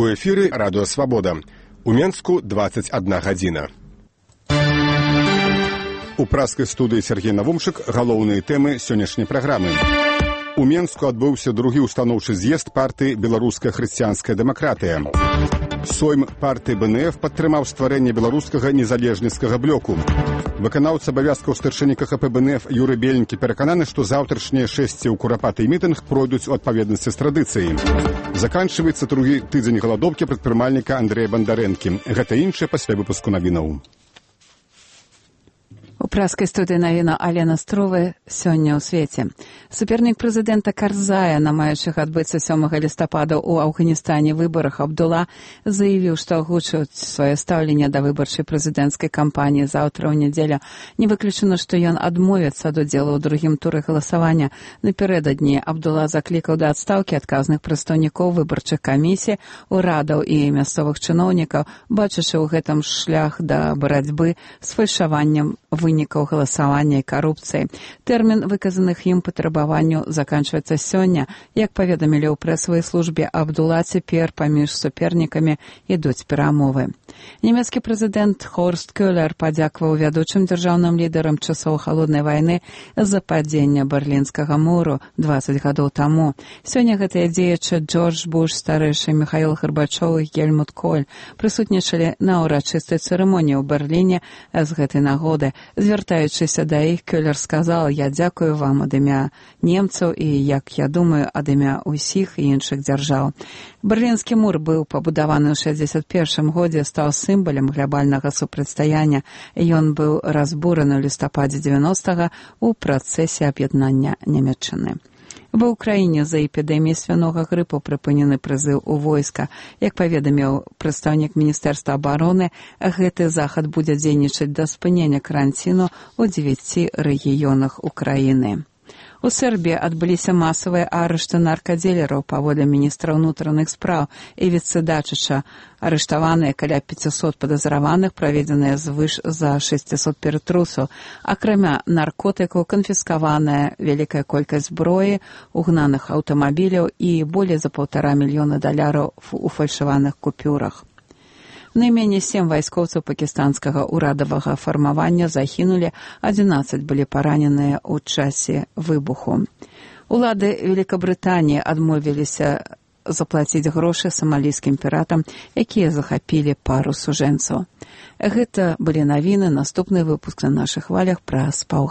У эфіры радыё Свабода. У Менску 21 гадзіна. У праскай студыі Сергей Навумчык галоўныя тэмы сённяшняй праграмы. У Менску адбыўся другі устаноўчы з'езд партыі «Беларуская хрысціянская дэмакратыя». Сойм партыі БНФ падтрымаў стварэнне беларускага незалежніцкага блоку. Выканаўца абавязкаў старшыні КХП БНФ Юрый Беленькі перакананы, што заўтрашнія шэсці ў курапаты і мітынг пройдуць у адпаведнасці з традыцыяй. Заканчваецца другі тыдзень галадоўкі прадпрымальніка Андрэя Бандарэнкі. Гэта іншае пасля выпуску навінаў. У праскай студыі навіна Алена Струвы сёння ў свеце. Супернік прэзідэнта Карзая на маючых адбыцца 7 лістапада ў Афганістане выбарах Абдула заявіў, што агучыць сваё стаўленне да выбарчай прэзідэнцкай кампаніі заўтра ў нядзелю. Не выключана, што ён адмовіцца ад удзелу ў другім туры галасавання. Напярэдадні Абдула заклікаў да адстаўкі адказных прадстаўнікоў выбарчых камісій, урадаў і мясцовых чыноўнікаў, бачачы ў гэтым шлях да барацьбы з фальшаваннем вынікаў галасавання і карупцыі. Тэрмін выказаных ім патрабаванняў заканчваецца сёння. Як паведамілі ў прэсавай службе, Абдула цяпер паміж супернікамі ідуць перамовы. Нямецкі прэзідэнт Хорст Кёлер падзякаваў вядучым дзяржаўным лідарам часоў халоднай вайны за падзення Берлінскага муру 20 гадоў таму. Сёння гэтыя дзеячы Джордж Буш старэйшы, Міхаіл Гарбачоў і Гельмут Коль прысутнічалі на ўрачыстай цырымоніі ў Берліне з гэтай нагоды. Звяртаючыся да іх, Кёлер сказал: «Я дзякую вам ад імя немцаў і, як я думаю, ад імя ўсіх іншых дзяржаў». Берлінскі мур быў пабудаваны ў 61 годзе, стаў сімвалам глобальнага супрацьстаяння. Ён быў разбураны ў лістападзе 90-га ў працэсе аб'яднання Нямецчыны. Ва ўкраіне за эпідэміяй свінога грыпу прыпынены прызыў у войска. Як паведаміў прадстаўнік Міністэрства абароны, гэты захад будзе дзейнічаць да спынення каранціну ў 9 рэгіёнах Украіны. У Сербіі адбыліся масавыя арышты наркадзілераў. Паводле міністра ўнутраных спраў і віцэ-дачыча арыштаваныя каля 500 падазраваных, праведзеныя звыш за 600 ператрусаў. Акрамя наркотыкаў канфіскаваная вялікая колькасць зброі, угнаных аўтамабіляў і болей за $1,5 мільёна у фальшаваных купюрах. Найменей 7 вайскоўцаў пакістанскага ўрадавага фармавання загінулі, 11 былі параненыя ў часе выбуху. Улады Великабрытаніі адмовіліся заплаціць грошы самалійскім піратам, якія захапілі пару сужэнцаў. Гэта былі навіны. Наступны выпуск на нашых хвалях праз паўгадзіны.